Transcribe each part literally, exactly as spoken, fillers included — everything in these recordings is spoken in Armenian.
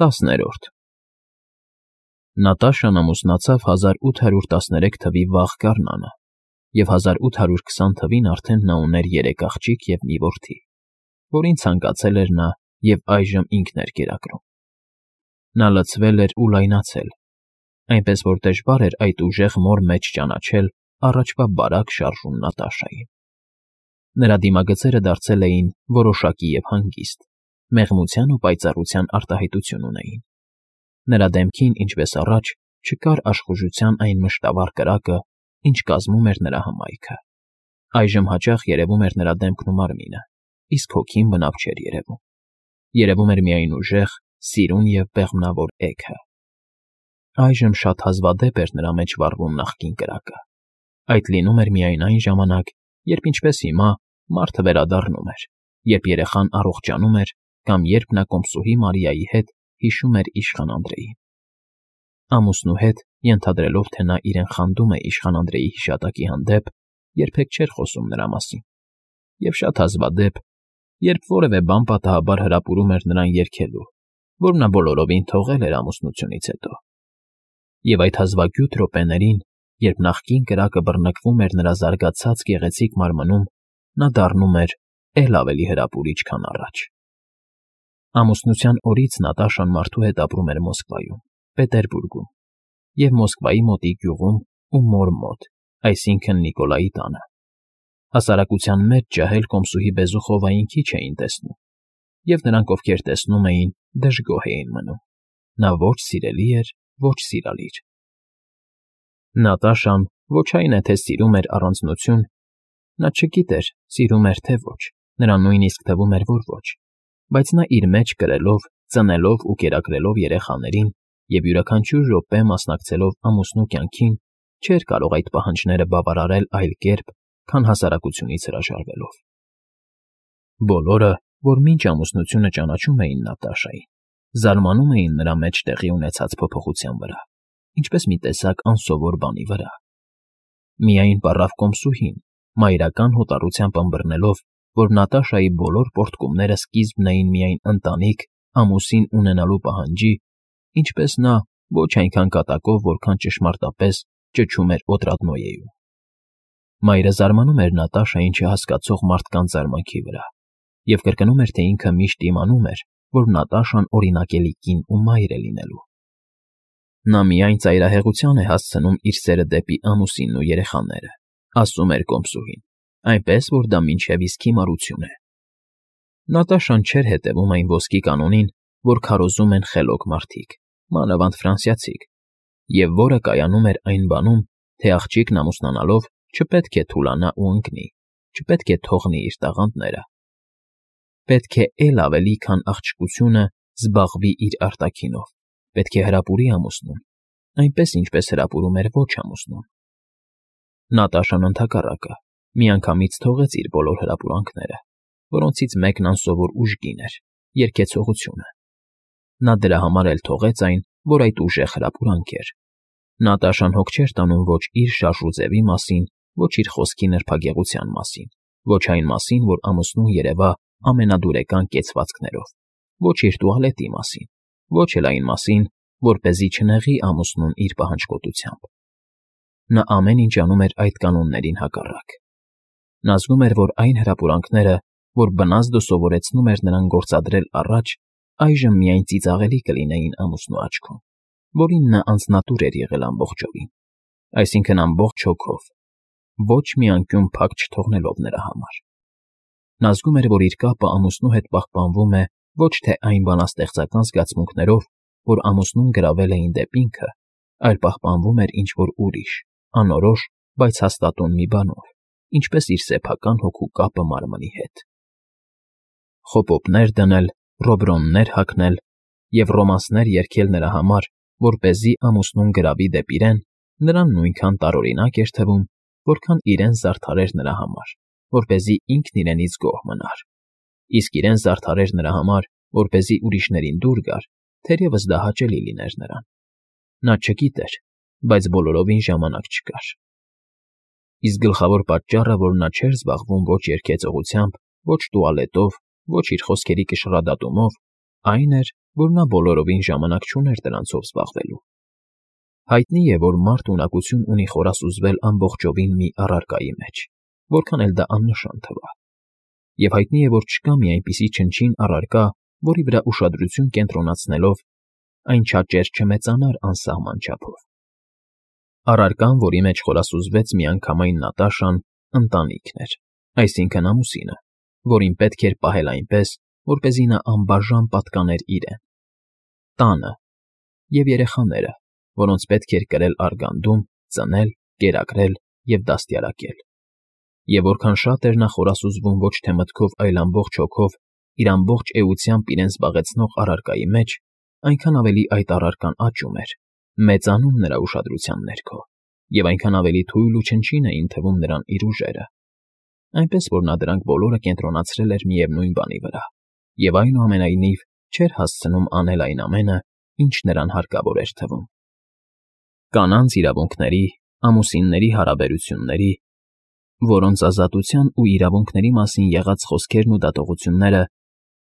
Տասներորդ Նատաշան ամուսնացավ հազար ութ հարյուր տասներեք թվականի վաղ գարնանը, և հազար ութ հարյուր քսան թվականին արդեն նա ուներ երեք աղջիկ և մի որդի, որին ցանկացել էր նա և այժմ ինքն էր կերակրում։ Նա լցվել էր ու լայնացել, այնպես որ դժվար էր այդ ուժեղ մոր մեջ ճանաչել առաջվա բարակ շարժուն Նատաշային։ Նրա դիմագծերը դարձել էին որոշակի և հանգիստ, մեղմության ու պայծառության արտահայտություն ունեին։ Նրա դեմքին, ինչպես առաջ, չկար աշխուժության այն մշտավոր կրակը, ինչ կազմում էր նրա հմայքը։ Այժմ հաճախ երևում էր նրա դեմքն ու մարմինը, իսկ հոգին բնավ չէր երևում։ Երևում էր միայն ուժեղ, սիրուն և բեղմնավոր էգը։ Այժմ շատ հազվադեպ էր նրա մեջ վառվում նախկին կրակը։ Այդ լինում էր միայն այն ժամանակ, երբ, ինչպես հիմա, մարդը վերադառնում էր, երբ երեխան առողջանում էր կամ երբ նա կոմսուհի Մարիայի հետ հիշում էր իշխան Անդրեին։ Ամուսնու հետ, ենթադրելով, թե նա իրեն խանդում է իշխան Անդրեի հիշատակի հանդեպ, երբեք չէր խոսում նրա մասին, և շատ հազվադեպ, երբ որևէ բան պատահաբար հրապուրում էր նրան երգելու, որ նա բոլորովին թողել էր ամուսնությունից հետո։ Եվ այդ հազվագյուտ րոպեներին, երբ նախկին կրակը բռնկվում էր նրա զարգացած գեղեցիկ մարմնում, նա դառնում էր էլ ավելի հրապուրիչ, քան առաջ։ Ամուսնության օրից Նատաշան մարդու հետ ապրում էր Մոսկվայում, Պետերբուրգում և Մոսկվայի մոտիկ գյուղում ու մոր մոտ, այսինքն Նիկոլայի տանը։ Հասարակության մեջ ջահել կոմսուհի Բեզուխովային քիչ էին տեսնում, և նրանք, ովքեր տեսնում էին, դժգոհ էին մնում։ Նա ոչ սիրելի էր, ոչ սիրալիր։ Նատաշան ոչ այն է, թե սիրում էր առանձնություն, նա չգիտեր, սիրում էր, թե ոչ, նրան նույնիսկ թվում էր, որ ոչ, բայց նա իր մեջ կրելով, ծնելով ու կերակրելով երեխաներին և յուրաքանչյուր րոպե մասնակցելով ամուսնու կյանքին, չէր կարող այդ պահանջները բավարարել այլ կերպ, քան հասարակությունից հրաժարվելով։ Բոլորը, որ մինչ ամուսնությունը ճանաչում էին Նատաշային, զարմանում էին նրա մեջ տեղի ունեցած փոփոխության վրա, ինչպես մի տեսակ անսովոր բանի վրա։ Միայն պառավ կոմսուհին, մայրական հոտառությամբ ըմբռնելով, որ Նատաշայի բոլոր պոռթկումները սկիզբն էին միայն ընտանիք, ամուսին ունենալու պահանջի, ինչպես նա, ոչ այնքան կատակով, որքան ճշմարտապես ճչում էր Օտրադնոյեում։ Մայրը զարմանում էր Նատաշային չհասկացող մարդկանց զարմանքի վրա և կրկնում էր, թե ինքը միշտ իմանում էր, որ Նատաշան օրինակելի կին ու մայր է լինելու։ Նա միայն ծայրահեղության է հասցնում իր սերը դեպի ամուսինն ու երեխաները, ասում էր կոմսուհին, այնպես, որ դա մինչև իսկ հիմարություն է։ Նատաշան չէր հետևում այն ոսկի կանոնին, որ քարոզում են խելոք մարդիկ, մանավանդ ֆրանսիացիք, և որը կայանում էր այն բանում, թե աղջիկն ամուսնանալով չպետք է թուլանա ու ընկնի, չպետք է թողնի իր տաղանդները։ Պետք է էլ ավելի, քան աղջկությունը, զբաղվի իր արտաքինով, պետք է հրապուրի ամուսնուն, այնպես, ինչպես հրապուրում էր ոչ ամուսնուն։ Նատաշան ընդհակառակը, միանգամից թողեց իր բոլոր հրապուրանքները, որոնցից մեկն անսովոր ուժգին էր, երգեցողությունը։ Նա դրա համար էլ թողեց այն, որ այդ ուժեղ հրապուրանք էր։ Նատաշան հոգ չէր տանում ոչ իր շարժուձևի մասին, ոչ իր խոսքի նրբագեղության մասին, ոչ այն մասին, որ ամուսնուն երևա ամենադուրեկան կեցվածքներով, ոչ իր տուալետի մասին, ոչ էլ այն մասին, որպեսզի չնեղի ամուսնուն իր պահանջկոտությամբ։ Նա ամեն ինչ անում էր այդ կանոններին հակառակ։ Նա զգում էր, որ այն հրապուրանքները, որ բնազդը սովորեցնում էր նրան գործադրել առաջ, այժմ միայն ծիծաղելի կլինեին ամուսնու աչքում, որին նա անձնատուր էր եղել ամբողջովին, այսինքն ամբողջ հոգով, ոչ մի անկյուն փակ չթողնելով նրա համար։ Նա զգում էր, որ իր կապը ամուսնու հետ պահպանվում է ոչ թե այն բանաստեղծական զգացմունքներով, որ ամուսնուն գրավել էին դեպի ինքը, այլ պահպանվում էր ինչ֊որ ուրիշ, անորոշ, բայց հաստատուն մի բանով, ինչպես իր սեփական հոգու կապը մարմնի հետ։ Խոպոպներ դնել, ռոբրոններ հագնել և ռոմանսներ երգել նրա համար, որպեսզի ամուսնուն գրավի դեպի իրեն, նրան նույնքան տարօրինակ էր թվում, որքան իրեն զարդարեր նրա համար, որպեսզի ինքն իրենից գոհ մնար, իսկ իրեն զարդարեր նրա համար, որպեսզի ուրիշներին դուր գար, թերևս դա հաճելի լիներ նրան։ Նա չգիտեր, բայց բոլորովին ժամանակ չկար։ Իսկ գլխավոր պատճառը, որ նա չէր զբաղվում ոչ երգեցողությամբ, ոչ տուալետով, ոչ իր խոսքերի կշռադատումով, այն էր, որ նա բոլորովին ժամանակ չուներ դրանցով զբաղվելու։ Հայտնի է, որ մարդը ունակություն ունի խորասուզվել ամբողջովին մի առարկայի մեջ, որքան էլ դա աննշան թվա։ Եվ հայտնի է, որ չկա մի այնպիսի չնչին առարկա, որի վրա ուշադրություն կենտրոնացնելով այն չաճեր չմեծանար անսահման չափով։ Առարկան, որի մեջ խորասուզվեց միանգամայն Նատաշան, ընտանիքն էր, այսինքն ամուսինը, որին պետք էր պահել այնպես, որպեսզի նա անբաժան պատկաներ իրեն, տանը, և երեխաները, որոնց պետք էր կրել արգանդում, ծնել, կերակրել և դաստիարակել։ Եվ որքան շատ էր նա խորասուզվում ոչ թե մտքով, այլ ամբողջ հոգով, իր ամբողջ էությամբ իրեն զբաղեցնող առարկայի մեջ, այնքան ավելի այդ առարկան աճում էր, մեծանում նրա ուշադրության ներքո, և այնքան ավելի թույլ ու չնչին էին թվում նրան իր ուժերը, այնպես որ նա դրանք բոլորը կենտրոնացրել էր միևնույն բանի վրա, և այնուամենայնիվ չէր հասցնում անել այն ամենը, ինչ նրան հարկավոր էր թվում։ Կանանց իրավունքների, ամուսինների հարաբերությունների, որոնց ազատության ու իրավունքների մասին եղած խոսքերն ու դատողությունները,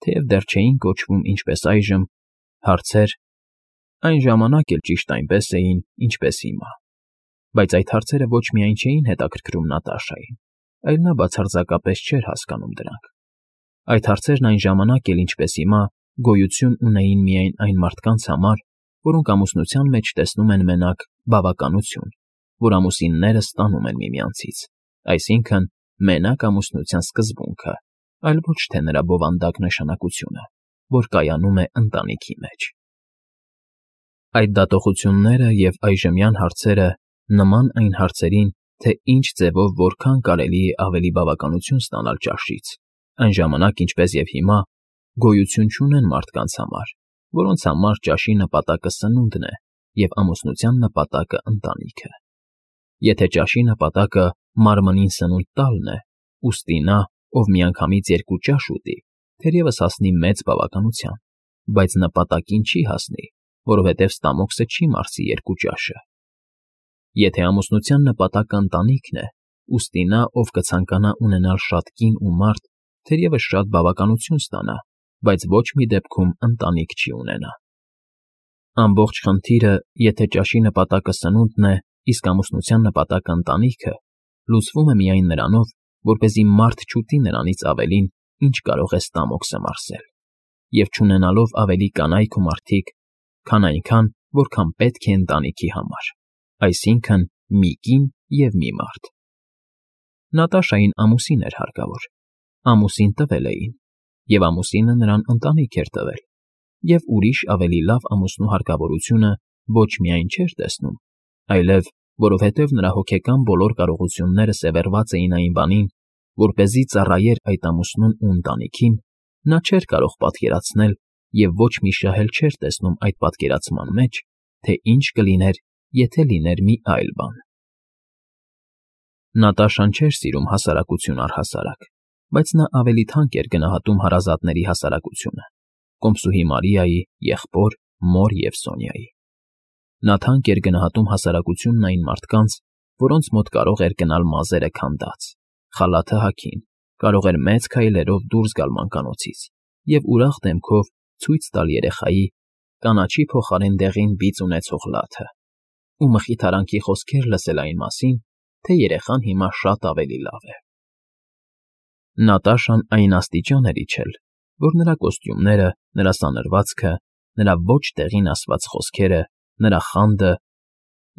թեև դեռ չէին կոչվում ինչպես այժմ, հարցեր, այն ժամանակ էլ ճիշտ այնպես էին, ինչպես հիմա, բայց այդ հարցերը ոչ միայն չէին հետաքրքրում Նատաշային, այլ նա բացարձակապես չէր հասկանում դրանք։ Այդ հարցերն այն ժամանակ էլ, ինչպես հիմա, գոյություն ունեին միայն այն մարդկանց համար, որոնք ամուսնության մեջ տեսնում են մենակ բավականություն, որ ամուսինները ստանում են միմյանցից, այսինքն մենակ ամուսնության սկզբունքը, այլ ոչ թե նրա բովանդակ նշանակությունը, որ կայանում է ընտանիքի մեջ։ Այդ դատողությունները և այժմյան հարցերը նման այն հարցերին, թե ինչ ձևով որքան կարելի է ավելի բավականություն ստանալ ճաշից, այն ժամանակ, ինչպես և հիմա, գոյություն չունեն մարդկանց համար, որոնց համար ճաշի նպատակը սնունդն է և ամուսնության նպատակը ընտանիքը։ Եթե ճաշի նպատակը մարմնին սնունդ տալն է, ուստի նա, ով միանգամից երկու ճաշ ուտի, թերևս հասնի մեծ բավականության, բայց նպատակին չի հասնի, որովհետև ստամոքսը չի մարսի երկու ճաշը։ Եթե ամուսնության նպատակը ընտանիքն է, ուստի նա, ով կցանկանա ունենալ շատ կին ու մարդ, թերևս շատ բավականություն ստանա, բայց ոչ մի դեպքում ընտանիք չի ունենա։ Ամբողջ խնդիրը, եթե ճաշի նպատակը սնունդն է, իսկ ամուսնության նպատակը ընտանիքը, լուծվում է միայն նրանով, որպեսզի մարդ չուտի նրանից ավելին, ինչ կարող է ստամոքսը մարսել, և չունենալով ավելի կանայք ու մարդիկ, քան այնքան, որքան պետք է ընտանիքի համար, այսինքն մի կին և մի մարդ։ Նատաշային ամուսին էր հարկավոր, ամուսին տվել էին, և ամուսինը նրան ընտանիք էր տվել, և ուրիշ ավելի լավ ամուսնու հարկավորությունը ոչ միայն չէր տեսնում, այլև, որովհետև նրա հոգեկան բոլոր կարողությունները սևեռված էին այն բանին, որպեսզի ծառայեր այդ ամուսնուն ու ընտանիքին, նա չէր կարող պատկերացնել և ոչ մի շահ էլ չէր տեսնում այդ պատկերացման մեջ, թե ինչ կլիներ, եթե լիներ մի այլ բան։ Նատաշան չէր սիրում հասարակություն առհասարակ, բայց նա ավելի թանկ էր գնահատում հարազատների հասարակությունը՝ կոմսուհի Մարիայի, եղբոր, մոր և Սոնյայի։ Նա թանկ էր գնահատում հասարակությունն այն մարդկանց, որոնց մոտ կարող էր գնալ մազերը քանդած, խալաթը հագին, կարող էր մեծ քայլերով դուրս գալ մանկանոցից և ուրախ դեմքով ցույց տալ երեխայի, կանաչի փոխարեն դեղին բիծ ունեցող լաթը, ու մխիթարանքի խոսքեր լսել այն մասին, թե երեխան հիմա շատ ավելի լավ է։ Նատաշան այն աստիճան էր իջել, որ նրա կոստյումները, նրա սանրվածքը, նրա ոչ տեղին ասված խոսքերը, նրա խանդը,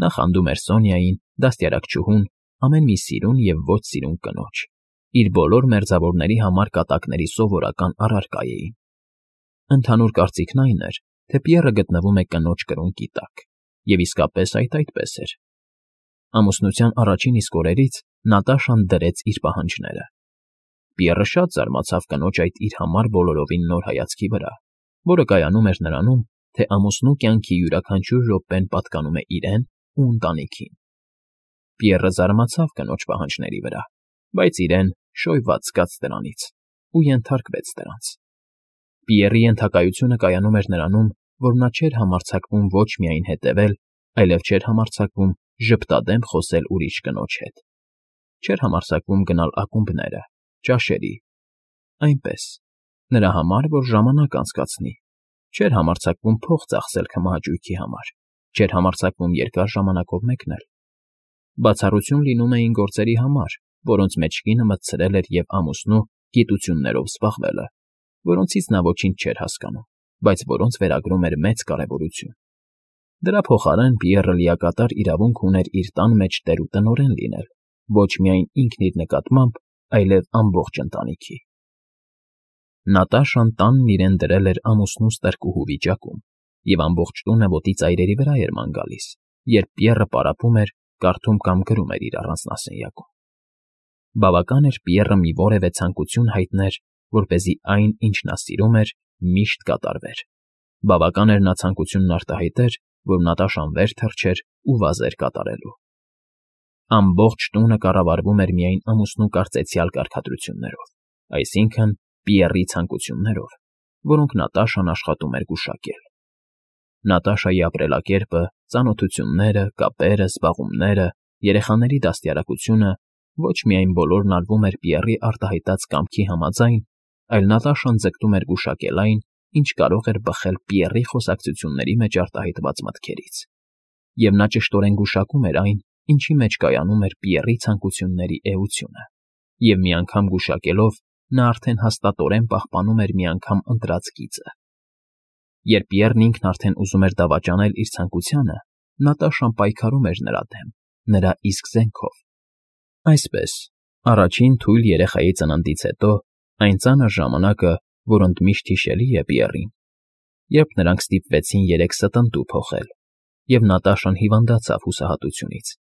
նա խանդում էր Սոնյային, դաստիարակչուհուն, ամեն մի սիրուն և ոչ սիրուն կնոջ, իր բոլոր մերձավորների համար կատակների սովորական առարկա էին։ Ընդհանուր կարծիքն այն էր, թե Պիեռը գտնվում է կնոջ կրունկի տակ, և իսկապես այդ այդպես էր։ Ամուսնության առաջին իսկ օրերից Նատաշան դրեց իր պահանջները։ Պիեռը շատ զարմացավ կնոջ այդ իր համար բոլորովին նոր հայացքի վրա, որը կայանում էր նրանում, թե ամուսնու կյանքի յուրաքանչյուր րոպեն պատկանում է իրեն ու ընտանիքին։ Պիեռը զարմացավ կնոջ պահանջների վրա, բայց իրեն շոյված զգաց դրանից ու ենթարկվեց դրանց։ Պիեռի ենթակայությունը կայանում էր նրանում, որ նա չէր համարձակվում ոչ միայն հետևել, այլև չէր համարձակվում ժպտադեմ խոսել ուրիշ կնոջ հետ, չէր համարձակվում գնալ ակումբները, ճաշերի, այնպես, նրա համար, որ ժամանակ անցկացնի, Չէր համարձակվում փող ծախսել քմահաճույքի համար, չէր համարձակվում երկար ժամանակով մեկնել։ Բացառություն լինում էին գործերի համար, որոնց մեջ կինը մտցրել էր և ամուսնու գիտություններով զբաղվելը, որոնցից նա ոչինչ չէր հասկանում, բայց որոնց վերագրում էր մեծ կարևորություն։ Դրա փոխարեն Պիեռը լիակատար իրավունք ուներ իր տան մեջ տեր ու տնօրեն լինել, ոչ միայն ինքն իր նկատմամբ, այլև ամբողջ ընտանիքի։ Նատաշան տանն իրեն դրել էր ամուսնու ստրկուհու վիճակում, և ամբողջ տունը ոտի ծայրերի վրա էր ման գալիս, երբ Պիեռը պարապում էր, կարդում կամ գրում էր իր առանձնասենյակում։ Բավական էր Պիեռը մի որևէ ցանկություն հայտներ, որպեսզի այն, ինչ նա սիրում էր, միշտ կատարվեր։ Բավական էր նա ցանկությունն արտահայտեր, որ Նատաշան վեր թռչեր ու վազեր կատարելու։ Ամբողջ տունը կառավարվում էր միայն ամուսնու կարծեցյալ կարգադրություններով, այսինքն՝ Պիեռի ցանկություններով, որոնք Նատաշան աշխատում էր գուշակել։ Նատաշայի ապրելակերպը, ծանոթությունները, կապերը, զբաղումները, երեխաների դաստիարակությունը ոչ միայն բոլորն արվում էր Պիեռի արտահայտած կամքի համաձայն, այլ Նատաշան ձգտում էր գուշակել այն, ինչ կարող էր բխել Պիեռի խոսակցությունների մեջ արտահայտված մտքերից, և նա ճշտորեն գուշակում էր այն, ինչի մեջ կայանում էր Պիեռի ցանկությունների էությունը, և մի անգամ գուշակելով, նա արդեն հաստատորեն պահպանում էր մի անգամ ընտրած գիծը։ Երբ Պիեռն ինքն արդեն ուզում էր դավաճանել իր ցանկությանը, Նատաշան պայքարում էր նրա դեմ, նրա իսկ զենքով։ Այսպես, առաջին թույլ երեխայի ծննդից հետո, այն ծանր ժամանակը, որ ընդմիշտ հիշելի է Պիեռին, երբ նրանք ստիպվեցին երեք ստընտու փոխել, և Նատաշան հիվանդացավ հուսահատությունից,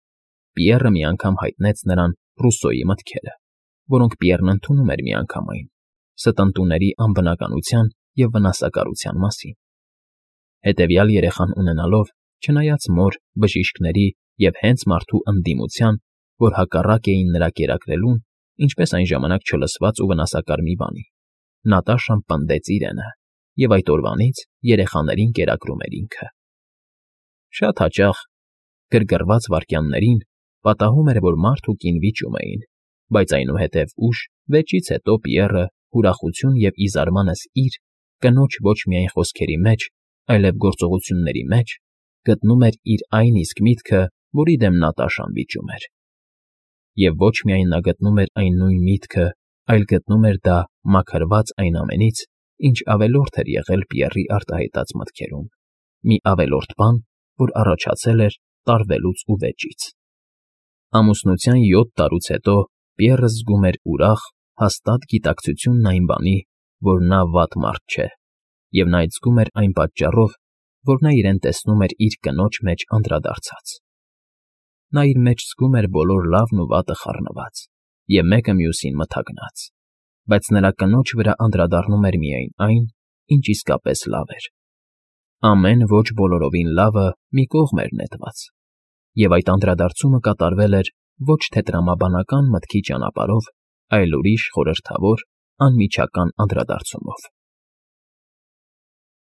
Պիեռը մի անգամ հայտնեց նրան Ռուսոյի մտքերը, որոնք Պիեռն ընդունում էր միանգամայն, ստընտուների անբնականության և վնասակարության մասին։ Հետևյալ երեխան ունենալով, չնայած մոր, բժիշկների և հենց մարդու ընդդիմության, որ հակառակ էին նրա կերակրելուն, ինչպես այն ժամանակ չլսված ու վնասակար մի բանի, Նատաշան պնդեց իրենը և այդ օրվանից երեխաներին կերակրում էր ինքը։ Շատ հաճախ, գրգռված վայրկյաններին, պատահում էր, որ մարդ ու կին վիճում էին, բայց այնուհետև ուշ, վեճից հետո Պիեռը, ուրախություն և ի զարմանս իր, կնոջ ոչ միայն խոսքերի մեջ, այլև գործողությունների մեջ, գտնում էր իր այն իսկ միտքը, որի դեմ Նատաշան վիճում էր։ Եվ ոչ միայն նա գտնում էր այն նույն միտքը, այլ գտնում էր դա մաքրված այն ամենից, ինչ ավելորդ էր եղել Պիեռի արտահայտած մտքերում, մի ավելորդ բան, որ առաջացել էր տարվելուց ու վեճից։ Ամուսնության յոթ տարուց հետո Պիեռը զգում էր ուրախ, հաստատ գիտակցությունն այն բանի, որ նա վատ մարդ չէ, և նա այդ զգում էր այն պատճառով, որ նա իրեն տեսնում էր իր կնոջ մեջ անդրադարձած։ Նա իր մեջ զգում էր բոլոր լավն ու վատը խառնված և մեկը մյուսին մթագնած, բայց նրա կնոջ վրա անդրադառնում էր միայն այն, ինչ իսկապես լավ էր։ Ամեն ոչ բոլորովին լավը մի կողմ էր նետված, և այդ անդրադարձումը կատարվել էր ոչ թե տրամաբանական մտքի ճանապարհով, այլ ուրիշ խորհրդավոր, անմիջական անդրադարձումով։